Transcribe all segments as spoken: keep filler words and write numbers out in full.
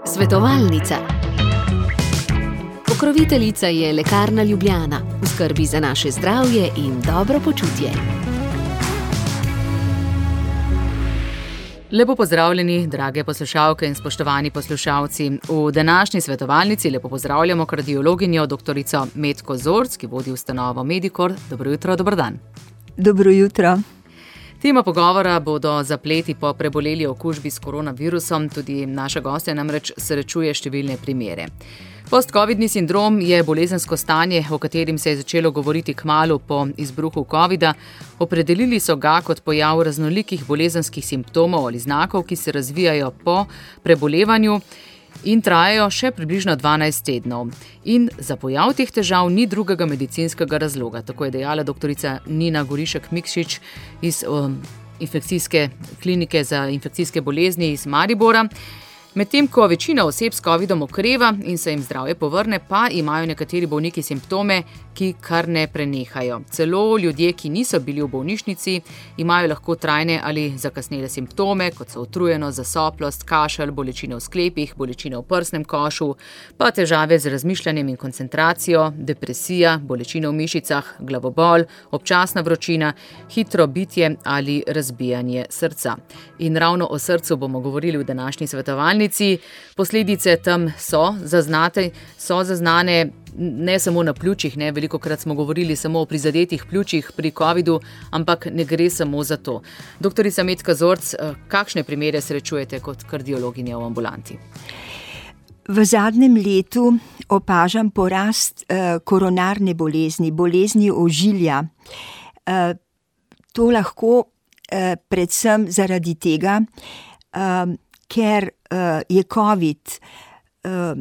Svetovalnica. Pokroviteljica je Lekarna Ljubljana, v skrbi za naše zdravje in dobro počutje. Lepo pozdravljeni, drage poslušalke in spoštovani poslušalci. V današnji svetovalnici lepo pozdravljamo kardiologinjo doktorico Metko Zorc, ki vodi ustanovo Medikor. Dobro jutro, dober dan. Dobro jutro. Tema pogovora bodo zapleti po preboleli okužbi s koronavirusom, tudi naša gostja namreč srečuje številne primere. Post-covidni sindrom je bolezensko stanje, o katerim se je začelo govoriti kmalu po izbruhu covida. Opredelili so ga kot pojav raznolikih bolezenskih simptomov ali znakov, ki se razvijajo po prebolevanju in trajajo še približno dvanajst tednov. In za pojav teh težav ni drugega medicinskega razloga, tako je dejala doktorica Nina Gorišek-Mikšič iz um, infekcijske klinike za infekcijske bolezni iz Maribora. Medtem ko večina oseb s covidom okreva in se jim zdravje povrne, pa imajo nekateri bolniki simptome, ki kar ne prenehajo. Celo ljudje, ki niso bili v bolnišnici, imajo lahko trajne ali zakasnele simptome, kot so utrujenost, zasoplost, kašelj, bolečine v sklepih, bolečine v prsnem košu, pa težave z razmišljanjem in koncentracijo, depresija, bolečine v mišicah, glavobol, občasna vročina, hitro bitje ali razbijanje srca. In ravno o srcu bomo govorili v današnji svetovalnici. Posledice tam so zaznate, so zaznane ne samo na pljučih, ne, velikokrat smo govorili samo o prizadetih pljučih pri covidu, ampak ne gre samo za to. Doktorica Metka Zorc, kakšne primere srečujete kot kardiologinja v ambulanti? V zadnjem letu opažam porast eh, koronarne bolezni, bolezni ožilja. Eh, to lahko eh, predvsem zaradi tega, eh, ker uh, je COVID uh,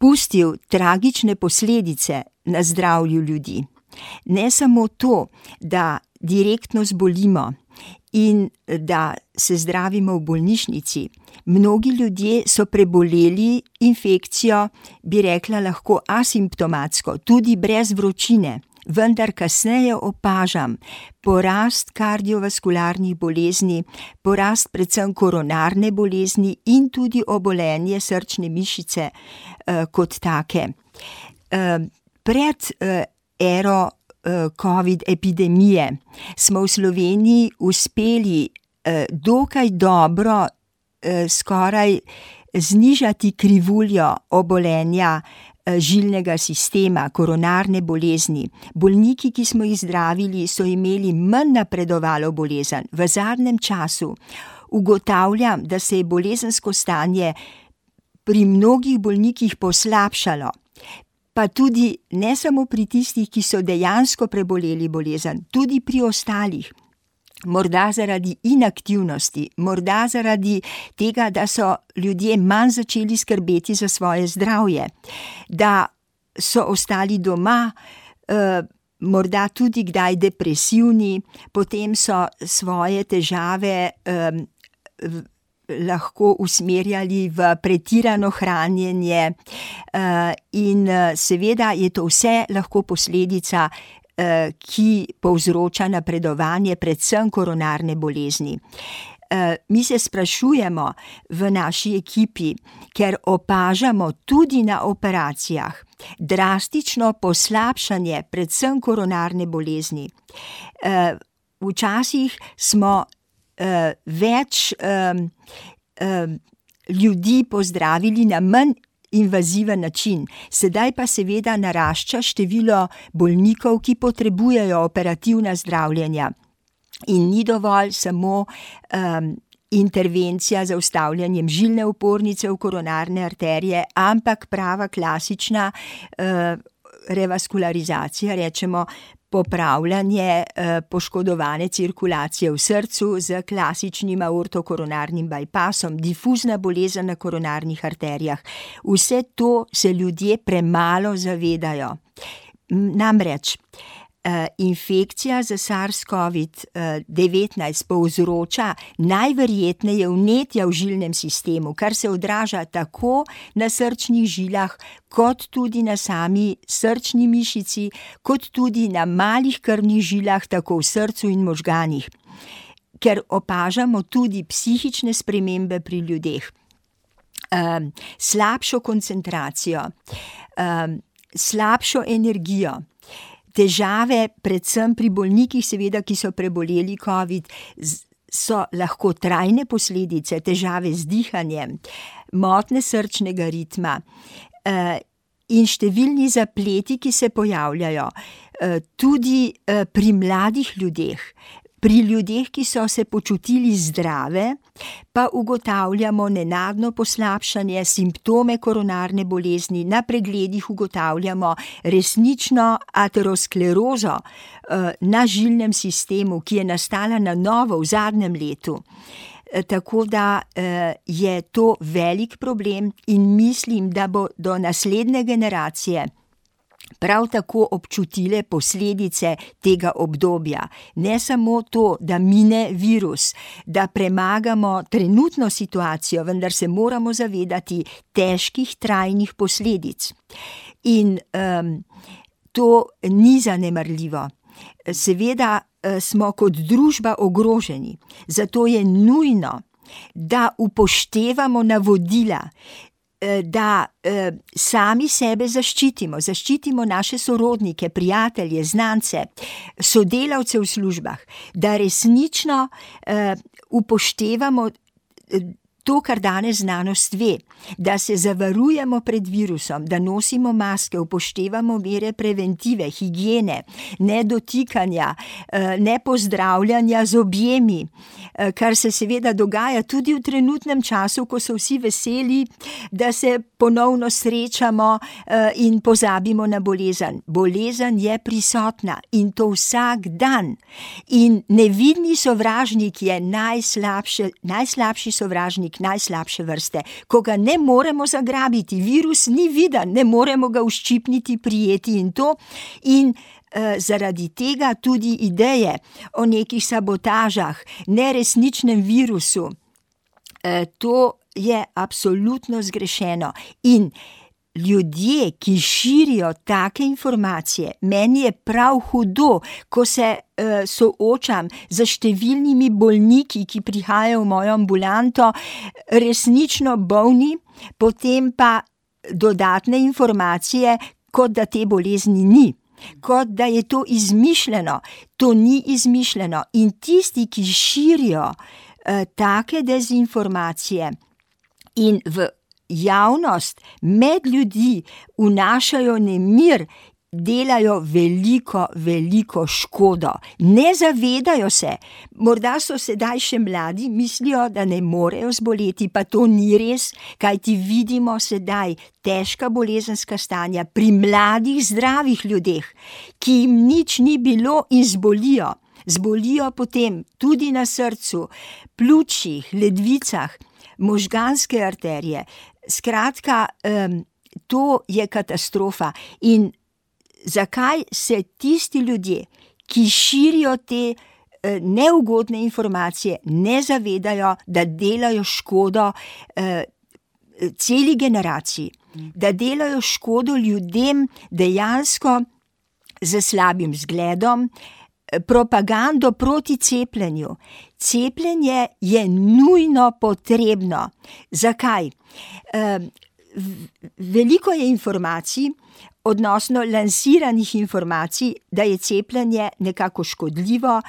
pustil tragične posledice na zdravju ljudi. Ne samo to, da direktno zbolimo in da se zdravimo v bolnišnici. Mnogi ljudje so preboleli infekcijo, bi rekla lahko asimptomatsko, tudi brez vročine. Vendar kasneje opažam porast kardiovaskularnih bolezni, porast predvsem koronarne bolezni in tudi obolenje srčne mišice eh, kot take. Eh, pred eh, ero eh, COVID epidemije smo v Sloveniji uspeli eh, dokaj dobro eh, skoraj znižati krivuljo obolenja žilnega sistema, koronarne bolezni. Bolniki, ki smo jih zdravili, so imeli manj napredovalo bolezen. V zadnjem času ugotavljam, da se je bolezensko stanje pri mnogih bolnikih poslabšalo, pa tudi ne samo pri tistih, ki so dejansko preboleli bolezen, tudi pri ostalih. Morda zaradi inaktivnosti, morda zaradi tega, da so ljudje manj začeli skrbeti za svoje zdravje, da so ostali doma, eh, morda tudi kdaj depresivni, potem so svoje težave eh, lahko usmerjali v pretirano hranjenje eh, in seveda je to vse lahko posledica, ki povzroča napredovanje predvsem koronarne bolezni. Mi se sprašujemo v naši ekipi, ker opažamo tudi na operacijah drastično poslabšanje predvsem koronarne bolezni. Včasih smo več ljudi pozdravili na manj invaziven način. Sedaj pa seveda narašča število bolnikov, ki potrebujejo operativna zdravljenja. In ni dovolj samo um, intervencija za ustavljanjem žilne opornice v koronarne arterije, ampak prava klasična uh, revaskularizacija, rečemo popravljanje eh, poškodovane cirkulacije v srcu z klasičnim aortokoronarnim bypassom, difuzna bolezen na koronarnih arterijah. Vse to se ljudje premalo zavedajo. Namreč, Uh, infekcija z SARS-CoV devetnajst povzroča najverjetneje vnetja v žilnem sistemu, kar se odraža tako na srčnih žilah, kot tudi na sami srčni mišici, kot tudi na malih krvnih žilah, tako v srcu in možganih. ker opažamo tudi psihične spremembe pri ljudeh, um, slabšo koncentracijo, um, slabšo energijo, težave, predvsem pri bolnikih, seveda, ki so preboleli covid, so lahko trajne posledice, težave z dihanjem, motnje srčnega ritma, uh, in številni zapleti, ki se pojavljajo, tudi pri mladih ljudeh, pri ljudeh, ki so se počutili zdrave, pa ugotavljamo nenadno poslabšanje, simptome koronarne bolezni, na pregledih ugotavljamo resnično aterosklerozo na žilnem sistemu, ki je nastala na novo v zadnjem letu. Tako da je to velik problem in mislim, da bo do naslednje generacije prav tako občutile posledice tega obdobja. Ne samo to, da mine virus, da premagamo trenutno situacijo, vendar se moramo zavedati težkih trajnih posledic. In um, to ni zanemarljivo. Seveda smo kot družba ogroženi, zato je nujno, da upoštevamo navodila, da eh, sami sebe zaščitimo, zaščitimo naše sorodnike, prijatelje, znance, sodelavce v službah, da resnično eh, upoštevamo to, kar danes znanost ve, da se zavarujemo pred virusom, da nosimo maske, upoštevamo mere preventive, higiene, ne dotikanja, ne pozdravljanja z objemi, kar se seveda dogaja tudi v trenutnem času, ko so vsi veseli, da se ponovno srečamo in pozabimo na bolezen. Bolezen je prisotna in to vsak dan. In nevidni sovražnik je najslabše, najslabši sovražnik, najslabše vrste, ko ga ne moremo zagrabiti, virus ni viden, ne moremo ga uščipniti, prijeti in to, in eh, zaradi tega tudi ideje o nekih sabotažah, neresničnem virusu, eh, to je absolutno zgrešeno. In ljudje, ki širijo take informacije, meni je prav hudo, ko se uh, soočam z številnimi bolniki, ki prihajajo v mojo ambulanto, resnično bolni, potem pa dodatne informacije, kot da te bolezni ni, kot da je to izmišljeno. To ni izmišljeno. In tisti, ki širijo uh, take dezinformacije in v javnost, med ljudi vnašajo nemir, delajo veliko, veliko škodo. Ne zavedajo se, morda so sedaj še mladi, mislijo, da ne morejo zboleti, pa to ni res, kajti vidimo sedaj težka bolezenska stanja pri mladih, zdravih ljudeh, ki jim nič ni bilo in zbolijo. Zbolijo potem tudi na srcu, pljučih, ledvicah, možganske arterije. Skratka, um, to je katastrofa. In zakaj se tisti ljudje, ki širijo te uh, neugodne informacije, ne zavedajo, da delajo škodo uh, celi generaciji, da delajo škodo ljudem dejansko z slabim zgledom, propagando proti cepljenju. Cepljenje je nujno potrebno. Zakaj? Veliko je informacij, odnosno lansiranih informacij, da je cepljenje nekako škodljivo.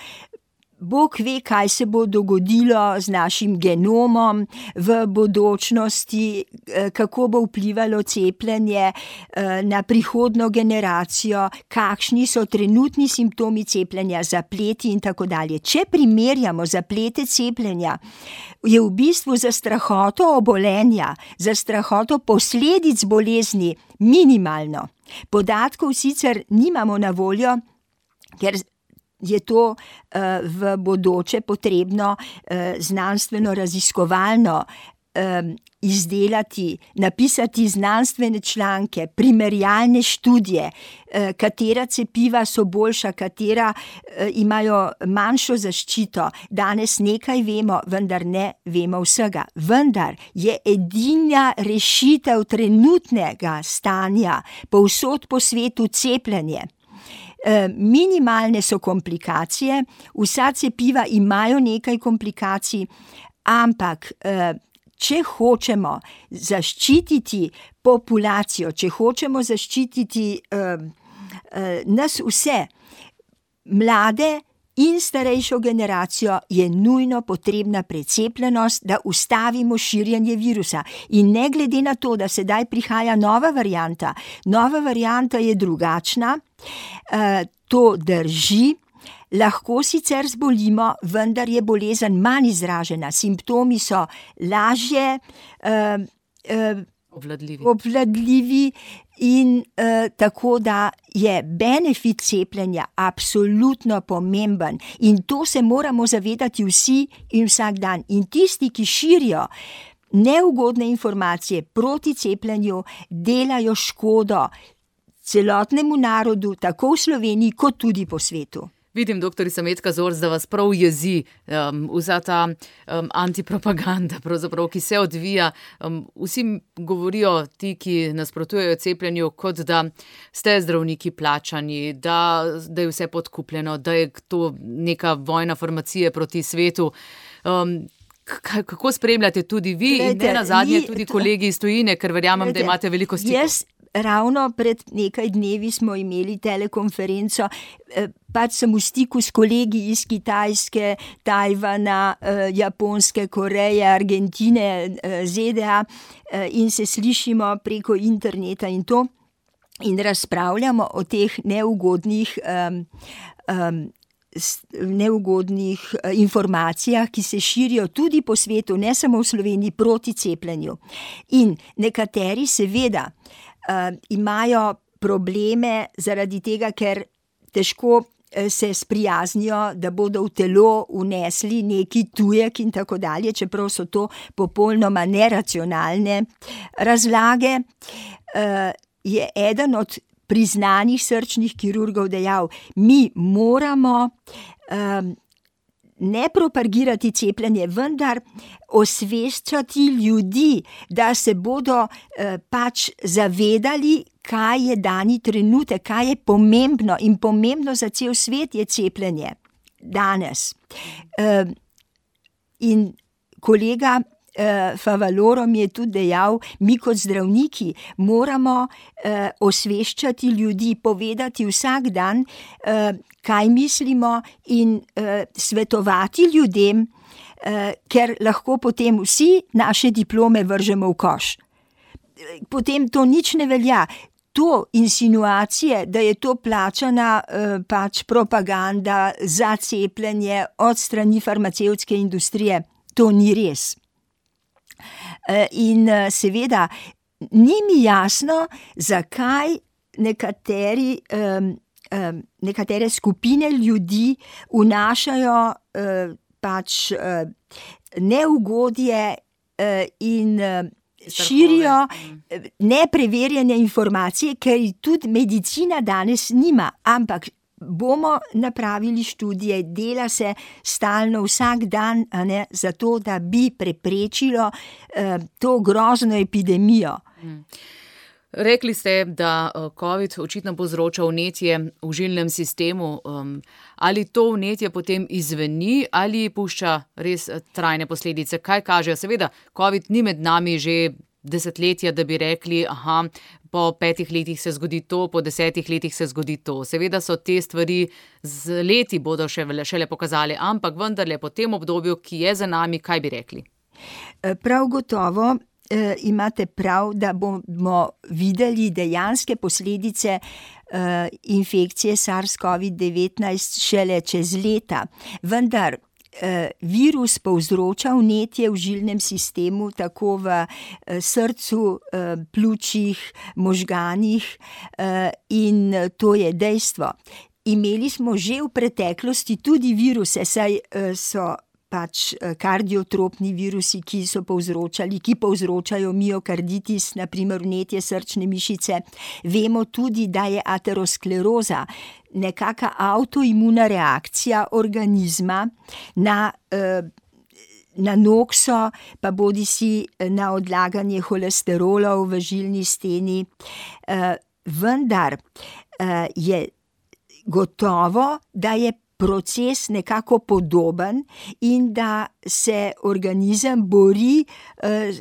Bog ve, kaj se bo dogodilo z našim genomom v bodočnosti, kako bo vplivalo cepljenje na prihodnjo generacijo, kakšni so trenutni simptomi cepljenja, zapleti in tako dalje. Če primerjamo zaplete cepljenja, je v bistvu za strahoto obolenja, za strahoto posledic bolezni minimalno. Podatkov sicer nimamo na voljo, ker je to uh, v bodoče potrebno uh, znanstveno raziskovalno um, izdelati, napisati znanstvene članke, primerjalne študije, uh, katera cepiva so boljša, katera uh, imajo manjšo zaščito. Danes nekaj vemo, vendar ne vemo vsega. Vendar je edina rešitev trenutnega stanja povsod po svetu cepljenje. Minimalne so komplikacije, vsa cepiva imajo nekaj komplikacij, ampak če hočemo zaščititi populacijo, če hočemo zaščititi nas vse, mlade in starejšo generacijo, je nujno potrebna precepljenost, da ustavimo širjenje virusa. In ne glede na to, da sedaj prihaja nova varianta, nova varianta je drugačna, to drži, lahko sicer zbolimo, vendar je bolezen manj izražena, simptomi so lažje, obvladljivi. obvladljivi in uh, tako da je benefit cepljenja absolutno pomemben in to se moramo zavedati vsi in vsak dan. In tisti, ki širijo neugodne informacije proti cepljenju, delajo škodo celotnemu narodu, tako v Sloveniji kot tudi po svetu. Vidim, doktorica Metka Zorc, da vas prav jezi um, vsa ta um, antipropaganda, pravzaprav, ki se odvija. Um, vsi govorijo, ti, ki nasprotujejo cepljenju, kot da ste zdravniki plačani, da, da je vse podkupljeno, da je to neka vojna farmacije proti svetu. Um, k- kako spremljate tudi vi Glede, in ne nazadnje ni, tudi kolegi iz tujine, ker verjamem, Glede, da imate veliko stikov? Jaz ravno pred nekaj dnevi smo imeli telekonferenco, pač sem v stiku s kolegi iz Kitajske, Tajvana, Japonske, Koreje, Argentine, Z D A in se slišimo preko interneta in to in razpravljamo o teh neugodnih um, um, neugodnih informacijah, ki se širijo tudi po svetu, ne samo v Sloveniji, proti cepljenju. In nekateri seveda Uh, imajo probleme zaradi tega, ker težko se sprijaznijo, da bodo v telo vnesli neki tujek in tako dalje, čeprav so to popolnoma neracionalne razlage. Uh, je eden od priznanih srčnih kirurgov dejal, mi moramo um, ne propagirati cepljenje, vendar osveščati ljudi, da se bodo eh, pač zavedali, kaj je dani trenutek, kaj je pomembno in pomembno za cel svet je cepljenje danes. Eh, in kolega eh, Favaloro mi je tudi dejal, mi kot zdravniki moramo eh, osveščati ljudi, povedati vsak dan, eh, kaj mislimo in uh, svetovati ljudem, uh, ker lahko potem vsi naše diplome vržemo v koš. Potem to nič ne velja. To insinuacije, da je to plačana uh, pač propaganda za cepljenje od strani farmacevtske industrije, to ni res. Uh, in uh, seveda ni mi jasno, zakaj nekateri um, nekatere skupine ljudi vnašajo uh, pač uh, neugodje uh, in uh, širijo nepreverjene informacije, ker tudi medicina danes nima, ampak bomo napravili študije, dela se stalno vsak dan, a ne, zato da bi preprečilo uh, to grozno epidemijo. Mm. Rekli ste, da COVID očitno povzroča vnetje v žilnem sistemu. Ali to vnetje potem izzveni ali pušča res trajne posledice? Kaj kažejo? Seveda, COVID ni med nami že desetletja, da bi rekli, aha, po petih letih se zgodi to, po desetih letih se zgodi to. Seveda so te stvari z leti bodo še šele pokazali, ampak vendarle po tem obdobju, ki je za nami, kaj bi rekli? Prav gotovo. Uh, imate prav, da bomo videli dejanske posledice uh, infekcije SARS-COVID devetnajst šele čez leta. Vendar uh, virus povzroča vnetje v žilnem sistemu, tako v uh, srcu, uh, pljučih, možganih uh, in to je dejstvo. Imeli smo že v preteklosti tudi viruse, saj uh, so pač kardiotropni virusi, ki so povzročali, ki povzročajo miokarditis, naprimer vnetje srčne mišice. Vemo tudi, da je ateroskleroza nekaka avtoimuna reakcija organizma na, na nokso, pa bodisi na odlaganje holesterolov v žilni steni. Vendar je gotovo, da je proces nekako podoben in da se organizem bori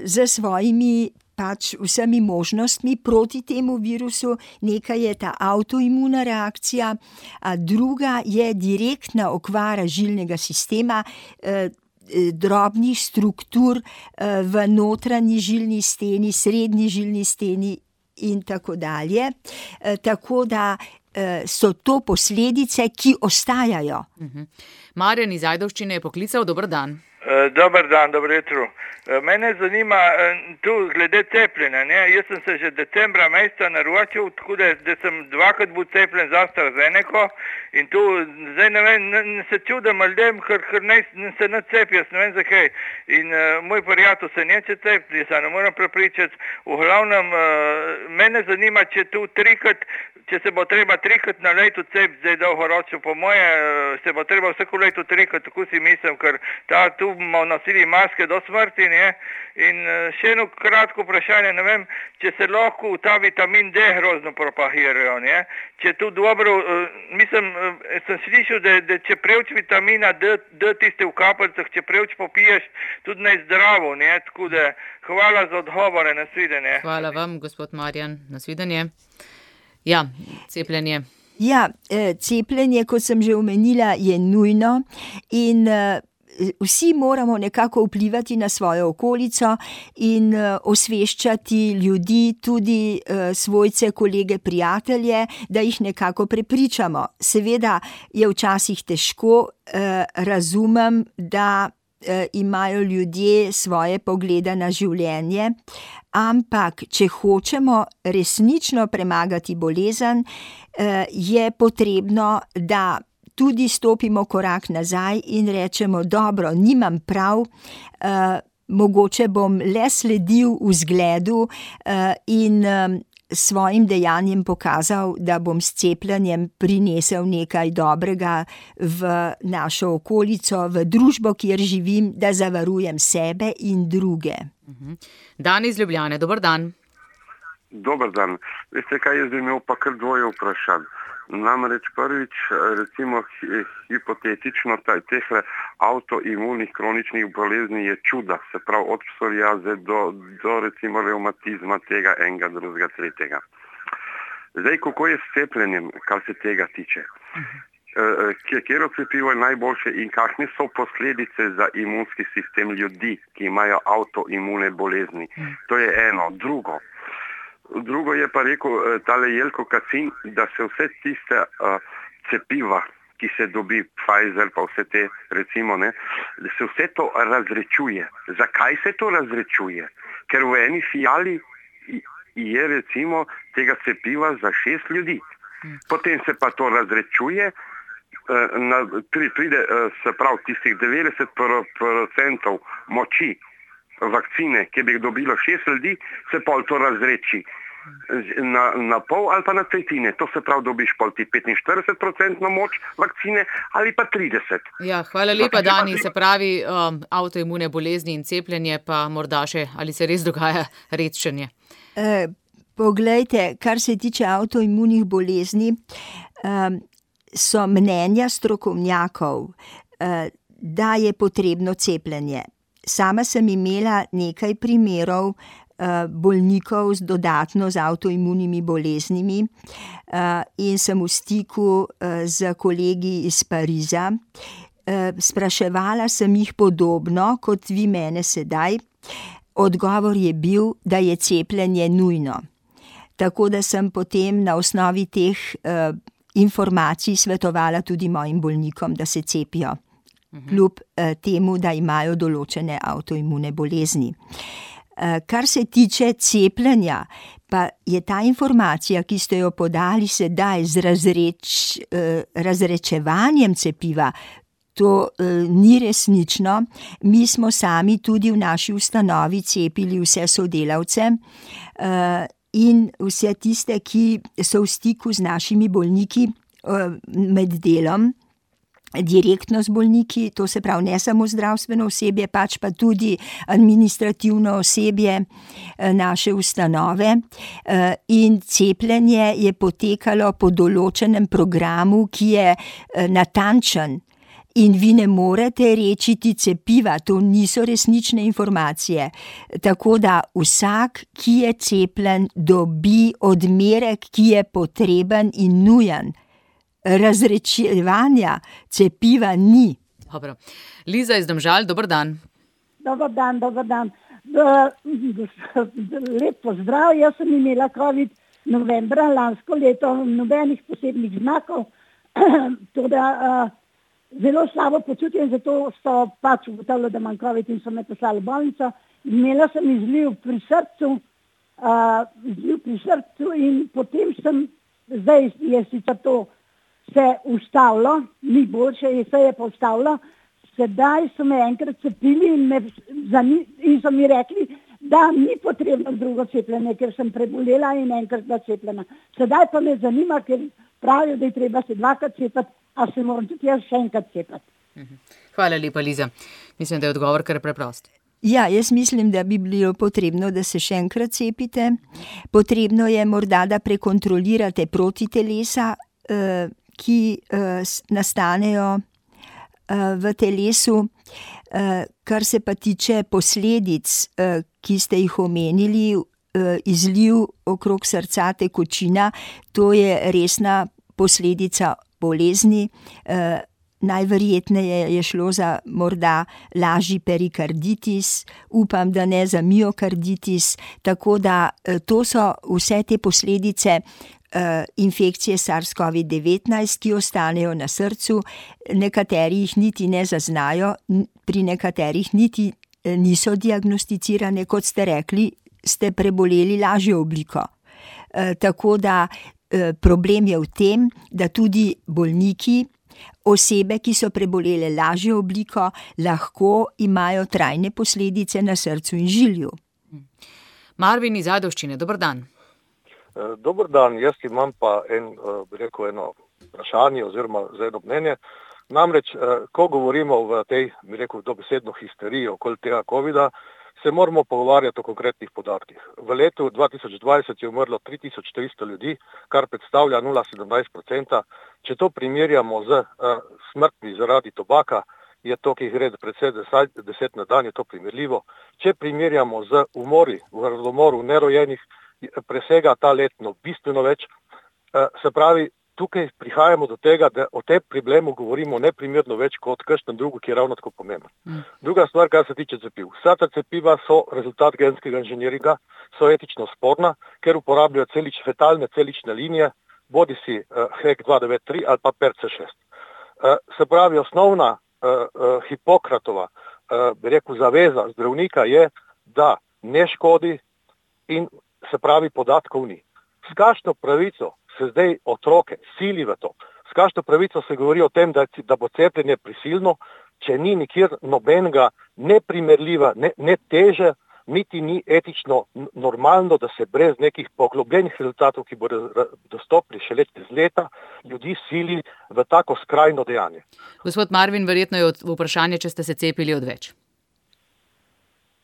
z svojimi pač vsemi možnostmi proti temu virusu. Nekaj je ta avtoimuna reakcija, a druga je direktna okvara žilnega sistema, drobnih struktur v notranji žilni steni, srednji žilni steni in tako dalje. Tako da so to posledice, ki ostajajo. Uh-huh. Marjan iz Ajdovščine je poklical, dober dan. Dobar dan, dobro jutro. Mene zanima tu glede cepljenja. Ne? Jaz sem se že decembra meseca naročil, tako da, da sem dvakrat bil cepljen za AstraZeneco in tu zdaj ne vem, ne, ne se čudem ljudem, ker, ker ne, ne se ne cepijo, ne vem zakaj. In uh, moj prijatelj se neće cepiti, se ne moram prepričati. V glavnem, uh, mene zanima, če tu trikrat, če se bo treba trikrat na leto cepiti, zdaj dolgoročno, po moje se bo treba vsako leto trikrat, tako si mislim, ker ta tu bomo nosili maske do smrti, ne? In še eno kratko vprašanje, ne vem, če se lahko ta vitamin D grozno propagirajo, ne? Če tu dobro, mislim, sem slišal, da, da če preveč vitamina D, D tiste v kapljicah, če preveč popiješ, tudi ne zdravo, ne? Tako da hvala za odgovore, nasvidenje. Hvala vam, gospod Marjan, nasvidenje. Ja, cepljenje. Ja, cepljenje, kot sem že omenila, je nujno in vsi moramo nekako vplivati na svojo okolico in osveščati ljudi, tudi svojce, kolege, prijatelje, da jih nekako prepričamo. Seveda je včasih težko, razumem, da imajo ljudje svoje poglede na življenje, ampak če hočemo resnično premagati bolezen, je potrebno, da tudi stopimo korak nazaj in rečemo, dobro, nimam prav, mogoče bom le sledil vzgledu in svojim dejanjem pokazal, da bom s cepljenjem prinesel nekaj dobrega v našo okolico, v družbo, kjer živim, da zavarujem sebe in druge. Dan iz Ljubljane, dober dan. Dober dan. Veste kaj, jaz bi imel pa kar dvoje vprašanj. Namreč prvič, recimo hipotetično, teh avtoimunih kroničnih bolezni je čuda, se pravi od psoriaze do, do recimo revmatizma tega enega, drugega, tretjega. Zdaj, kako je s cepljenjem, kar se tega tiče? Katero cepivo je najboljše in kakšne so posledice za imunski sistem ljudi, ki imajo avtoimune bolezni? To je eno. Drugo. Drugo je pa rekel tale Jelko Kacin, da se vse tiste uh, cepiva, ki se dobi Pfizer, pa vse te recimo, ne, da se vse to razrečuje. Zakaj se to razrečuje? Ker v eni fijali je recimo tega cepiva za šest ljudi. Potem se pa to razrečuje, uh, na, pride uh, se pravi tistih devetdeset procentov moči vakcine, ki bi jih dobilo šest ljudi, se pol to razreči na, na pol ali pa na tretjine. To se pravi, dobiš pol ti petinštirideset procentno moč vakcine ali pa trideset. Ja, hvala lepa, Dani. Se pravi, um, avtoimune bolezni in cepljenje, pa morda še, ali se res dogaja redčenje? E, poglejte, kar se tiče avtoimunih bolezni, um, so mnenja strokovnjakov, uh, da je potrebno cepljenje. Sama sem imela nekaj primerov uh, bolnikov z dodatno z avtoimunimi boleznimi uh, in sem v stiku uh, z kolegi iz Pariza. Uh, spraševala sem jih podobno, kot vi mene sedaj. Odgovor je bil, da je cepljenje nujno. Tako da sem potem na osnovi teh uh, informacij svetovala tudi mojim bolnikom, da se cepijo. Kljub eh, temu, da imajo določene avtoimune bolezni. Eh, kar se tiče cepljenja, pa je ta informacija, ki ste jo podali sedaj z razreč, eh, razrečevanjem cepiva, to eh, ni resnično. Mi smo sami tudi v naši ustanovi cepili vse sodelavce eh, in vse tiste, ki so v stiku z našimi bolniki eh, med delom. direktno z bolniki, to se pravi ne samo zdravstveno osebje, pač pa tudi administrativno osebje naše ustanove. In cepljenje je potekalo po določenem programu, ki je natančen. In vi ne morete rečiti cepiva, to niso resnične informacije. Tako da vsak, ki je cepljen, dobi odmerek, ki je potreben in nujen. Razrečevanja cepiva ni. Dobro. Liza iz Domžal, dober dan. Dobar dan, dobar dan. Lep pozdrav, jaz sem imela covid novembra lansko leto, nobenih posebnih znakov, teda zelo slabo počutje, zato so pač ugotavljali, da imam covid in so me poslali v bolnico. Imela sem izliv pri srcu, uh, izliv pri srcu in potem sem, zdaj je sicer to se ustavilo, ni boljše, se je pa ustavilo. Sedaj so me enkrat cepili in, me, in so mi rekli, da ni potrebno drugo cepljenje, ker sem prebolela in enkrat bila cepljena. Sedaj pa me zanima, ker pravijo, da je treba se dvakrat cepati, a se moram tudi jaz še enkrat cepati. Hvala lepa, Liza. Mislim, da je odgovor kar preprost. Ja, jaz mislim, da bi bilo potrebno, da se še enkrat cepite. Potrebno je morda, da prekontrolirate protitelesa, ki nastanejo v telesu. Kar se pa tiče posledic, ki ste jih omenili, izliv okrog srca, tekočina, to je resna posledica bolezni. Najverjetneje je šlo za morda lažji perikarditis, upam, da ne za miokarditis, tako da to so vse te posledice infekcije SARS-CoV devetnajst, ki ostanejo na srcu, nekateri jih niti ne zaznajo, pri nekaterih niti niso diagnosticirane, kot ste rekli, ste preboleli lažjo obliko. Tako da problem je v tem, da tudi bolniki, osebe, ki so prebolele lažjo obliko, lahko imajo trajne posledice na srcu in žilju. Marvin iz Ajdovščine, dober dan. Dober dan, jaz imam pa en, bi rekel, eno vprašanje oziroma za eno mnenje. Namreč, ko govorimo v tej, bi rekel, dobesedno histeriji okoli tega covida, se moramo pogovarjati o konkretnih podatkih. V letu dva tisoč dvajset je umrlo tri tisoč tristo ljudi, kar predstavlja nula celih sedemnajst odstotka. Če to primerjamo z uh, smrtmi zaradi tobaka, je to, ki jih gre predvsej deset na dan, je to primerljivo. Če primerjamo z umori, v radomoru nerojenih, presega ta letno bistveno več. Uh, se pravi, tukaj prihajamo do tega, da o tem problemu govorimo neprimerno več kot kakšen drugo, ki je ravno tako pomemben. Mm. Druga stvar, kar se tiče cepiv. Vsa ta cepiva so rezultat genskega inženiringa, so etično sporna, ker uporabljajo celič, fetalne celične linije, bodi si uh, H E K dva devet tri ali pa P R C šest. Uh, se pravi, osnovna uh, uh, Hipokratova, uh, bi rekel, zaveza zdravnika je, da ne škodi in se pravi podatkov ni. S kakšno pravico se zdaj otroke sili v to? S kakšno pravico se govori o tem, da, da bo cepljenje prisilno, če ni nikjer nobenega neprimerljiva, ne, ne teže, niti ni etično normalno, da se brez nekih poglobljenih rezultatov, ki bodo dostopni šele čez leta, ljudi sili v tako skrajno dejanje. Gospod Marvin, verjetno je vprašanje, če ste se cepili odveč.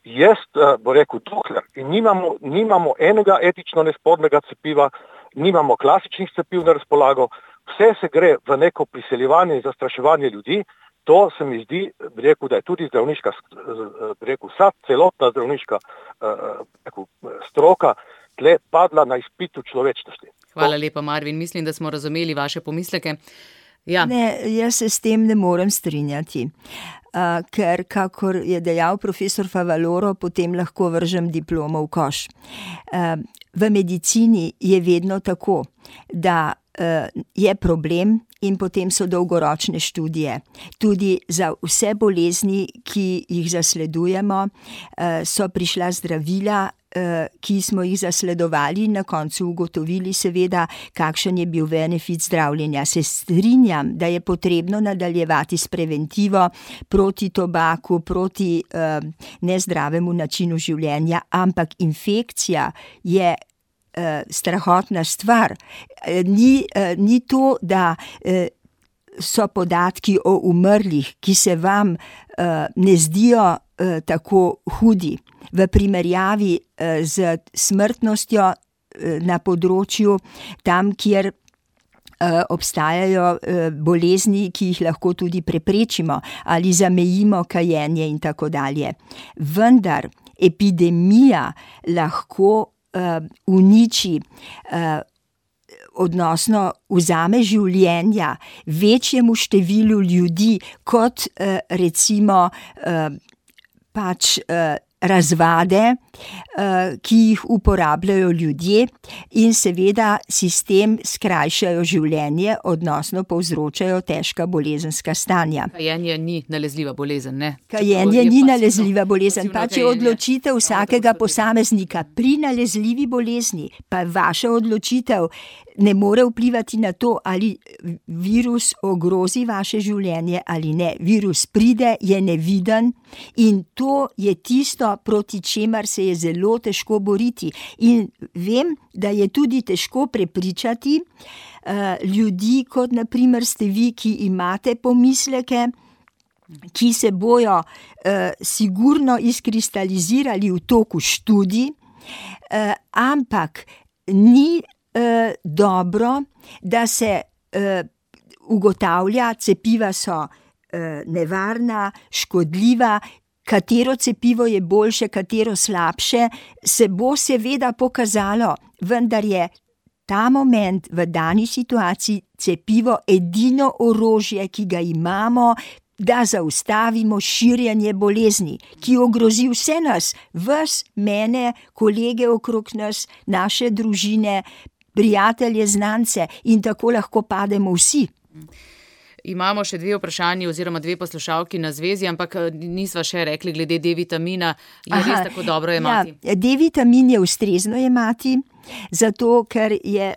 Jaz, bo rekel, dokler in nimamo, nimamo enega etično nespornega cepiva, nimamo klasičnih cepiv na razpolago, vse se gre v neko priseljevanje in zastraševanje ljudi, to se mi zdi, bi rekel, da je tudi zdravniška, bi rekel, vsa celotna zdravniška rekel, stroka tle padla na izpitu človečnosti. Hvala lepa, Marvin, mislim, da smo razumeli vaše pomisleke. Ja. Ne, jaz se s tem ne morem strinjati, uh, ker, kakor je dejal profesor Favaloro, potem lahko vržem diplomo v koš. Uh, v medicini je vedno tako, da uh, je problem in potem so dolgoročne študije. Tudi za vse bolezni, ki jih zasledujemo, uh, so prišla zdravila, ki smo jih zasledovali, na koncu ugotovili seveda, kakšen je bil benefit zdravljenja. Se strinjam, da je potrebno nadaljevati s preventivo proti tobaku, proti uh, nezdravemu načinu življenja, ampak infekcija je uh, strahotna stvar. Ni, uh, ni to, da uh, so podatki o umrlih, ki se vam uh, ne zdijo uh, tako hudi v primerjavi uh, z smrtnostjo uh, na področju tam, kjer uh, obstajajo uh, bolezni, ki jih lahko tudi preprečimo ali zamejimo kajenje in tako dalje. Vendar epidemija lahko uh, uniči uh, odnosno vzame življenja večjemu številu ljudi kot recimo pač razvade, ki jih uporabljajo ljudje in seveda sistem skrajšajo življenje, odnosno povzročajo težka bolezenska stanja. Kajenje ni nalezljiva bolezen, ne? Kajenje ni nalezljiva bolezen, pač je odločitev vsakega posameznika. Pri nalezljivi bolezni pa vaša odločitev ne more vplivati na to, ali virus ogrozi vaše življenje ali ne. Virus pride, je neviden in to je tisto, proti čemer se je zelo težko boriti. In vem, da je tudi težko prepričati uh, ljudi, kot na primer ste vi, ki imate pomisleke, ki se bojo uh, sigurno izkristalizirali v toku študij, uh, ampak ni Uh, dobro, da se uh, ugotavlja, cepiva so uh, nevarna, škodljiva, katero cepivo je boljše, katero slabše, se bo seveda pokazalo, vendar je ta moment v dani situaciji cepivo edino orožje, ki ga imamo, da zaustavimo širjenje bolezni, ki ogrozi vse nas, vas, mene, kolege okrog nas, naše družine, prijatelje, znance in tako lahko pademo vsi. Imamo še dve vprašanji oziroma dve poslušalki na zvezi, ampak nisva še rekli glede D-vitamina. Je Aha, res tako dobro jemati? Ja, D-vitamin je ustrezno jemati, zato ker je,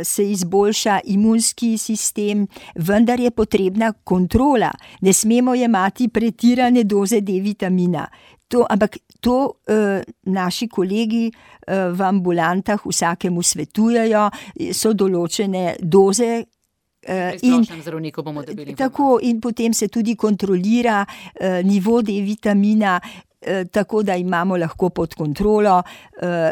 se izboljša imunski sistem, vendar je potrebna kontrola. Ne smemo jemati pretirane doze D-vitamina. To, ampak to uh, naši kolegi uh, v ambulantah vsakemu svetujejo, so določene doze. Uh, in, bomo dobili tako, in potem se tudi kontrolira uh, nivo D-vitamina, uh, tako da imamo lahko pod kontrolo, uh,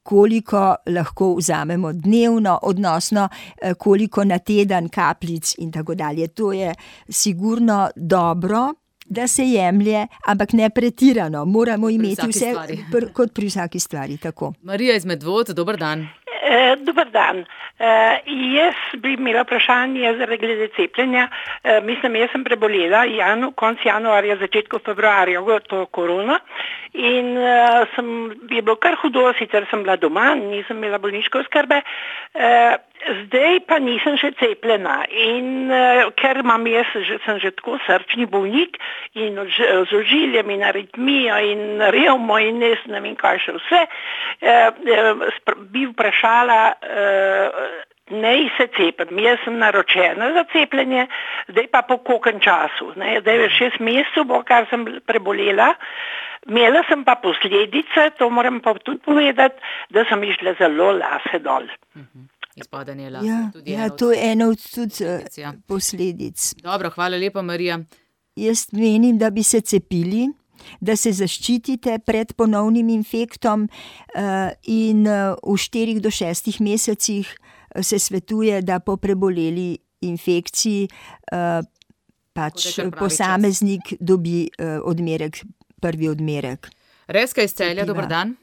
koliko lahko vzamemo dnevno, odnosno uh, koliko na teden kapljic in tako dalje. To je sigurno dobro, da se jemlje, ampak ne pretirano. Moramo imeti vse pr, kot pri vsaki stvari. Tako. Marija iz Medvod, dober dan. E, dober dan. E, jaz bi imela vprašanje zaradi glede cepljenja. E, mislim, jaz sem prebolela janu, konc januarja, začetku februarja to korona in e, sem, je bilo kar hudo, sicer sem bila doma, nisem imela bolniške oskrbe, e, zdaj pa nisem še cepljena in e, ker imam jaz, že, sem že tako srčni bolnik in z ožiljem in aritmijo in revmo in ne vem kaj še vse, e, e, bi vprašala, e, ne se cepim. Jaz sem naročena za cepljenje, zdaj pa po koliko času. Ne? Zdaj je šest mesecev, bo, kar sem prebolela. Imela sem pa posledice, to moram pa tudi povedati, da sem išla zelo lase dol. Uh-huh. Izpadanje lase. Ja, tudi ja to je eno od tudi uh, posledic. Dobro, hvala lepa, Marija. Jaz menim, da bi se cepili, da se zaščitite pred ponovnim infektom uh, in uh, v štirih do šestih mesecih se svetuje, da po preboleli infekciji uh, pač posameznik čas. dobi uh, odmerek, prvi odmerek. Reska iz Celja, dober dan.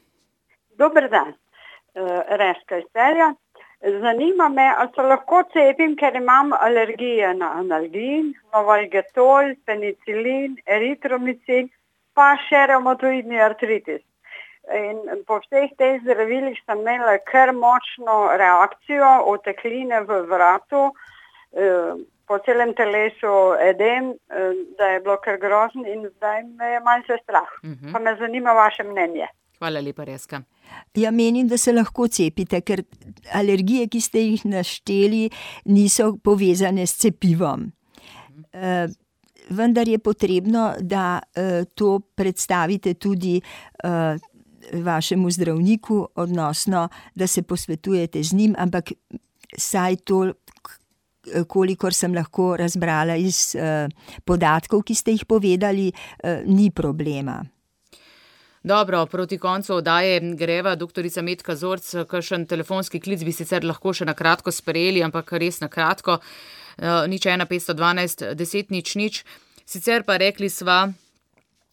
Dober dan, uh, Reska iz Celja. Zanima me, ali se lahko cepim, ker imam alergije na analgin, novalgetol, penicilin, eritromicin, pa še reumatoidni artritis. In po vseh teh zdravilih sem imela kar močno reakcijo, otekline v vratu, po celem telesu edem, da je bilo kar grozno in zdaj me je malce strah. Uh-huh. Pa me zanima vaše mnenje. Hvala lepa, Reska. Ja, menim, da se lahko cepite, ker alergije, ki ste jih našteli, niso povezane s cepivom. Uh, vendar je potrebno, da uh, to predstavite tudi uh, vašemu zdravniku, odnosno, da se posvetujete z njim, ampak saj to kolikor sem lahko razbrala iz uh, podatkov, ki ste jih povedali, uh, ni problema. Dobro, proti koncu oddaje greva, doktorica Metka Zorc, kakšen telefonski klic bi sicer lahko še na kratko sprejeli, ampak res na kratko, uh, nič ena petsto dvanajst deset nič nič. Sicer pa rekli sva,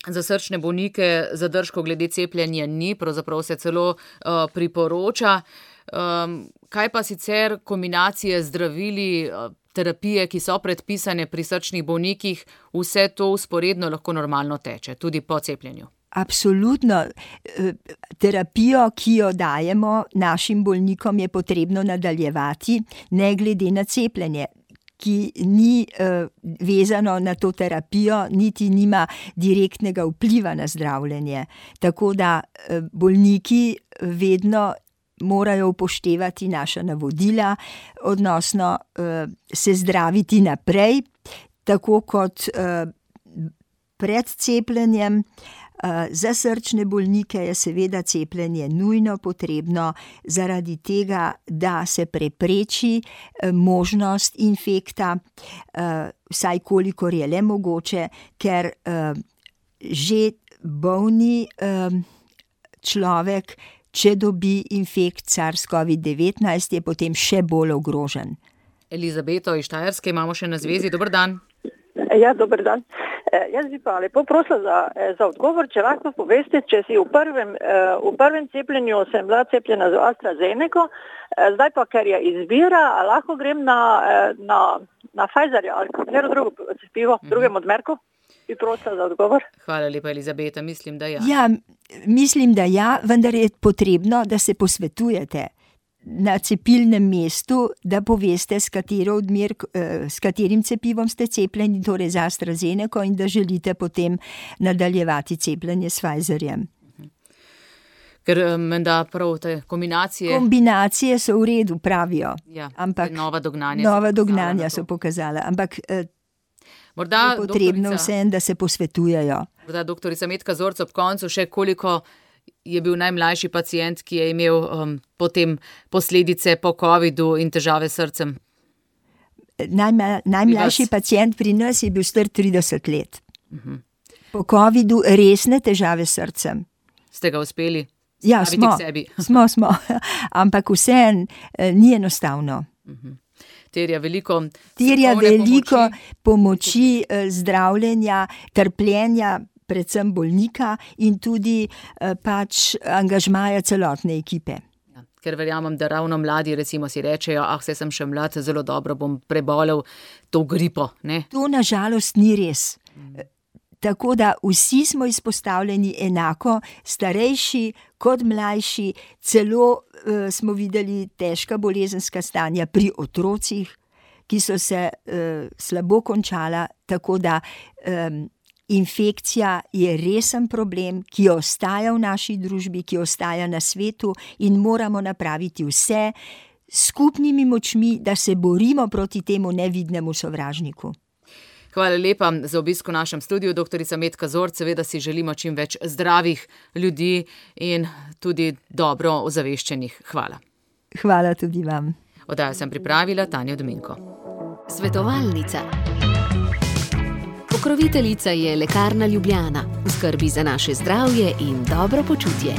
za srčne bolnike zadržkov glede cepljenja ni, pravzaprav se celo uh, priporoča. Um, kaj pa sicer kombinacije zdravili, uh, terapije, ki so predpisane pri srčnih bolnikih, vse to usporedno lahko normalno teče, tudi po cepljenju? Absolutno. Terapijo, ki jo dajemo našim bolnikom, je potrebno nadaljevati, ne glede na cepljenje, ki ni uh, vezano na to terapijo, niti nima direktnega vpliva na zdravljenje. Tako da uh, bolniki vedno morajo upoštevati naša navodila, odnosno uh, se zdraviti naprej, tako kot uh, pred cepljenjem. Za srčne bolnike je seveda cepljenje nujno potrebno zaradi tega, da se prepreči možnost infekta, vsaj kolikor je le mogoče, ker že bolni človek, če dobi infekt SARS-COVID devetnajst, je potem še bolj ogrožen. Elizabeto iz Štajerske imamo še na zvezi. Dober dan. Ja, dober dan. Jaz bi pa lepo prosila za, za odgovor, če lahko poveste, če si v prvem, v prvem cepljenju sem bila cepljena z AstraZeneca, zdaj pa, ker je izbira, lahko grem na, na, na Pfizerja ali katero drugo cepivo, mm-hmm. drugem odmerku? Bi prosila za odgovor. Hvala lepa, Elizabeta, mislim, da ja. Ja, mislim, da ja, vendar je potrebno, da se posvetujete na cepilnem mestu, da poveste, s, odmer, s katerim cepivom ste cepljeni, torej z AstraZeneca, in da želite potem nadaljevati cepljenje s Pfizerjem. Ker menda prav te kombinacije... Kombinacije so v redu, pravijo. Ja, ampak nova dognanja, nova dognanja so pokazala. Ampak morda je potrebno doktorica, vsem, da se posvetujejo. Morda doktorica Metka Zorc ob koncu še koliko je bil najmlajši pacient, ki je imel um, potem posledice po covidu in težave s srcem? Najma, najmlajši pacient pri nas je bil star trideset let. Uh-huh. Po covidu resne težave s srcem. Ste ga uspeli ja, staviti smo, k sebi? smo, smo. Ampak vseeno ni enostavno. Uh-huh. Terja veliko, Terja veliko pomoči, pomoči zdravljenja, trpljenja, predvsem bolnika in tudi eh, pač angažmaja celotne ekipe. Ja, ker verjamem, da ravno mladi recimo si rečejo, ah, se sem še mlad, zelo dobro bom prebolel to gripo. Ne? To nažalost ni res. Mm. Tako da vsi smo izpostavljeni enako, starejši kot mlajši, celo eh, smo videli težka bolezenska stanja pri otrocih, ki so se eh, slabo končala, tako da eh, infekcija je resen problem, ki ostaja v naši družbi, ki ostaja na svetu in moramo napraviti vse skupnimi močmi, da se borimo proti temu nevidnemu sovražniku. Hvala lepa za obisk v našem studiu, doktorica Metka Zorc. Seveda si želimo čim več zdravih ljudi in tudi dobro ozaveščenih. Hvala. Hvala tudi vam. Oddajo sem pripravila Tanja Dominko. Svetovalnica. Pokroviteljica je Lekarna Ljubljana, v skrbi za naše zdravje in dobro počutje.